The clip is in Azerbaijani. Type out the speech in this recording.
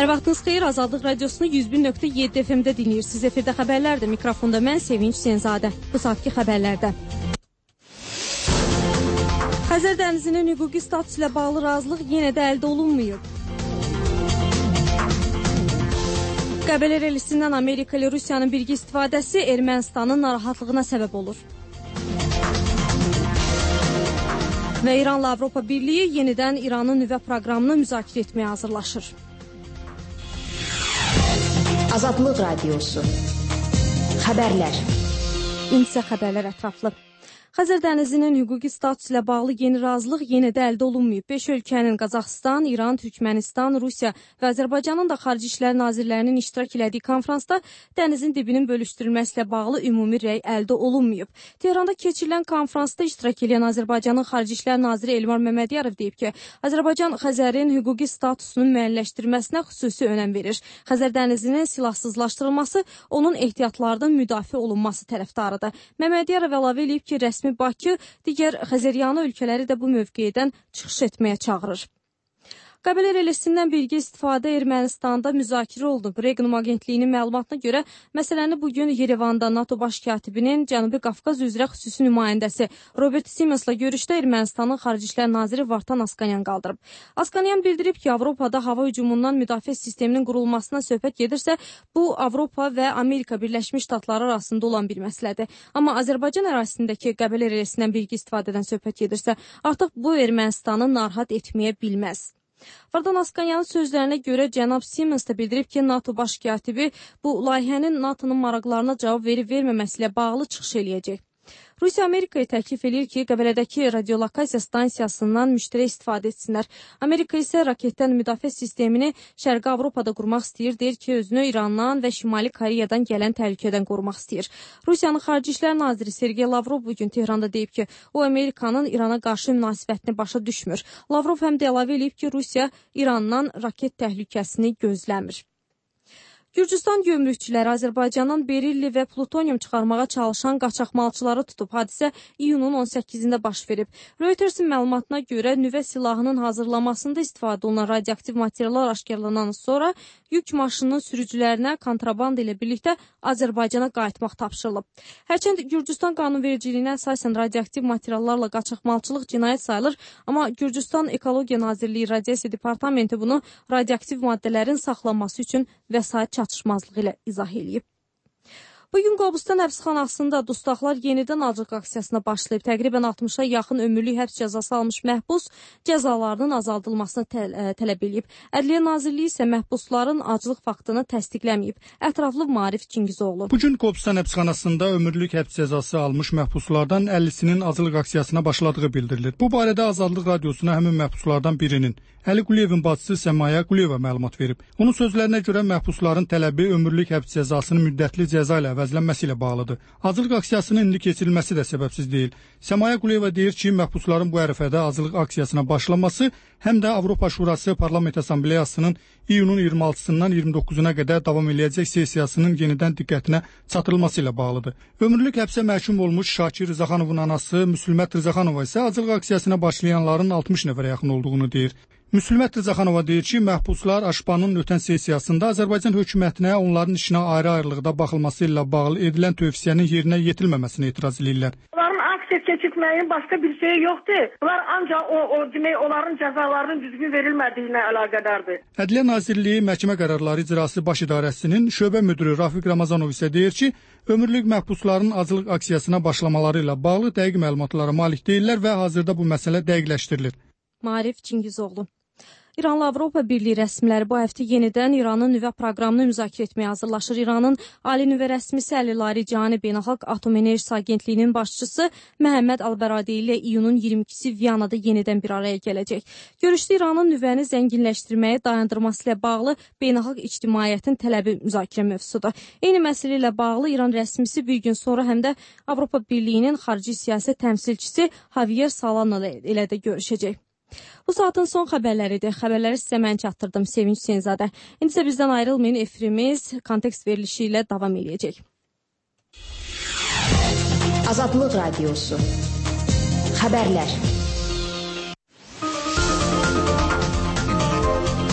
Hər vaxtınız xeyir, Azadlıq Radiosunu 101.7 FM-də dinləyirsiniz. Efirdə xəbərlərdir. Mikrofonda mən Sevinç Senzadə. Bu saatki xəbərlərdə. Xəzər dənizinin hüquqi status ilə bağlı razılıq yenə də əldə olunmayıb. Qəbələ relisindən Amerika ilə Rusiyanın birgə istifadəsi Ermənistanın narahatlığına səbəb olur. Və İranla Avropa Birliyi yenidən İranın nüvə proqramını müzakirə etməyə hazırlaşır. Azadlıq Radiosu. Xəbərlər. İndisə xəbərlər ətraflı. Xəzər dənizinin hüquqi status ilə bağlı yeni razılıq yenə də əldə olunmayıb. 5 ölkənin Qazaxıstan, İran, Türkmənistan, Rusiya və Azərbaycanın da Xarici İşlər Nazirlərinin iştirak elədiyi konfransda dənizin dibinin bölüşdürülməsi ilə bağlı ümumi rəy əldə olunmayıb. Tehranda keçirilən konfransda iştirak edən Azərbaycanın Xarici İşlər Naziri Elmar Məmmədiyarov deyib ki, Azərbaycan Xəzərin hüquqi statusunun müəyyənləşdirilməsinə xüsusi önəm verir. Xəzər dənizinin silahsızlaşdırılması, onun ehtiyatlardan müdafiə olunması tərəfdarıdır. Məmmədiyarov əlavə edib ki, rəsmi Bakı digər Xəzəryanı ölkələri də bu mövqedən çıxış etməyə çağırır. Qəbələ relisindən birgə istifadə Ermənistanda müzakirə olunub. Regnum agentliyinin məlumatına görə məsələni bugün Yerevanda NATO baş katibinin Cənubi Qafqaz üzrə xüsusi nümayəndəsi Robert Simonsla görüşdə Ermənistanın Xarici İşlər Naziri Vartan Askanyan qaldırıb. Askanyan bildirib ki, Avropada hava hücumundan müdafiə sisteminin qurulmasına söhbət gedirsə, bu Avropa və Amerika Birləşmiş Ştatları arasında olan bir məsələdir. Amma Azərbaycan ərazisindəki Qəbələ relisindən birgə istifadədən söhbət gedirsə, artıq bu Ermənistanı narahat etməyə bilməz. Vartan Askanyanın sözlərinə görə cənab Simons da bildirib ki, NATO baş katibi bu layihənin NATO'nun maraqlarına cavab verib-verməməsi ilə bağlı çıxış eləyəcək. Rusiya Amerikaya təklif edir ki, Qəbələdəki radiolokasiya stansiyasından müştərək istifadə etsinlər. Amerika isə raketdən müdafiə sistemini Şərqi Avropada qurmaq istəyir, deyir ki, özünü İrandan və Şimali Koreyadan gələn təhlükədən qorumaq istəyir. Rusiyanın Xarici İşlər Naziri Sergey Lavrov bugün Tehranda deyib ki, o Amerikanın İrana qarşı münasibətini başa düşmür. Lavrov həm də əlavə edib ki, Rusiya İrandan raket təhlükəsini gözləmir. Gürcüstan gömrükçüləri Azərbaycandan berilli və plutonium çıxarmağa çalışan qaçaqmalçıları tutub. Hadisə iyunun 18-də baş verib. Reutersin məlumatına görə nüvə silahının hazırlamasında istifadə olunan radioaktiv materiallar aşkarlanan sonra yük maşınının sürücülərinə kontraband ilə birlikdə Azərbaycana qayıtmaq tapşırılıb. Hərçənd Gürcüstan qanunvericiliyinə əsasən radioaktiv materiallarla qaçaqmalçılıq cinayət sayılır, amma Gürcüstan Ekologiya Nazirliyi Radiasiya Departamenti bunu radioaktiv maddələrin saxlanması üçün vəsait çatışmazlığı ilə izah edib. Bugün Qobustan həbsxanasında dustaqlar yenidən aclıq aksiyasına başlayıb. Təqribən 60-a yaxın ömürlük həbs cəzası almış məhbus cəzalarının azaldılmasını tələb edib. Ədliyyə Nazirliyi isə məhbusların aclıq faktını təsdiqləməyib. Ətraflı Maarif Çingizoğlu. Bugün Qobustan həbsxanasında ömürlük həbs cəzası almış məhbuslardan 50-sinin aclıq aksiyasına başladığı bildirilir. Bu barədə Azadlıq Radiosuna həmin məhbuslardan birinin, Əli Quliyevin bacısı Səmaya Quliyeva məlumat verib. Onun sözlərinə görə məhbusların tələbi ömürlük həbs cəzasının müddətli cəza ilə əvəzlənməsi ilə bağlıdır. Aclıq aksiyasının indi keçirilməsi də səbəbsiz deyil. Səmaya Quliyeva deyir ki, məhbusların bu ərəfədə aclıq aksiyasına başlaması həm də Avropa Şurası Parlament Assambleyasının iyunun 26-sından 29-una qədər davam eləyəcək sessiyasının yenidən diqqətinə çatdırılması ilə bağlıdır. Ömürlük həbsə məhkum olmuş Şakir Rızaxanovun anası Müslümət Rızaxanova isə aclıq aksiyasına başlayanların 60 nəfərə yaxın olduğunu deyir. Müslümət Rızaxanova deyir ki, məhbuslar Aşpanın ötən sessiyasında Azərbaycan hökumətinə onların işinə ayrı-ayrılıqda baxılması ilə bağlı edilən tövsiyənin yerinə yetilməməsini etiraz edirlər. Onların aksiya keçirtməyin başqa bir şey yoxdur. Bunlar ancaq demək, onların cəzalarının düzgün verilmədiyi ilə əlaqədardır. Ədliyyə Nazirliyi Məhkəmə Qərarları İcrası Baş İdarəsinin şöbə müdürü Rafiq Ramazanov isə deyir ki, ömürlük məhbusların aclıq aksiyasına başlamaları ilə bağlı dəqiq məlumatlara malik deyirlər və hazırda bu məsələ dəqiqləşdirilir. Maarif Çingizoğlu. İranla Avropa Birliyi rəsmiləri bu həftə yenidən İranın nüvə proqramını müzakirə etməyə hazırlaşır. İranın Ali Nüvə rəsmisi Əli Larijani Beynəlxalq Atom Enerjisi Agentliyinin başçısı Məhəmməd Al-Bəradi ilə iyunun 22-si Viyanada yenidən bir araya gələcək. Görüşdə İranın nüvəni zənginləşdirməyə dayandırması ilə bağlı beynəlxalq ictimaiyyətin tələbi müzakirə mövzusudur. Eyni məsələ ilə bağlı İran rəsmisi bir gün sonra həm də Avropa Birliyinin xarici siyasət təmsilçisi Javier Solana ilə də görüşəcək. Bu saatın son xəbərləridir. Xəbərləri sizə mən çatdırdım, Sevinç Senzadə. İndi isə bizdən ayrılmayın, efirimiz kontekst verilişi ilə davam edəcək. Azadlıq Radiosu. Xəbərlər.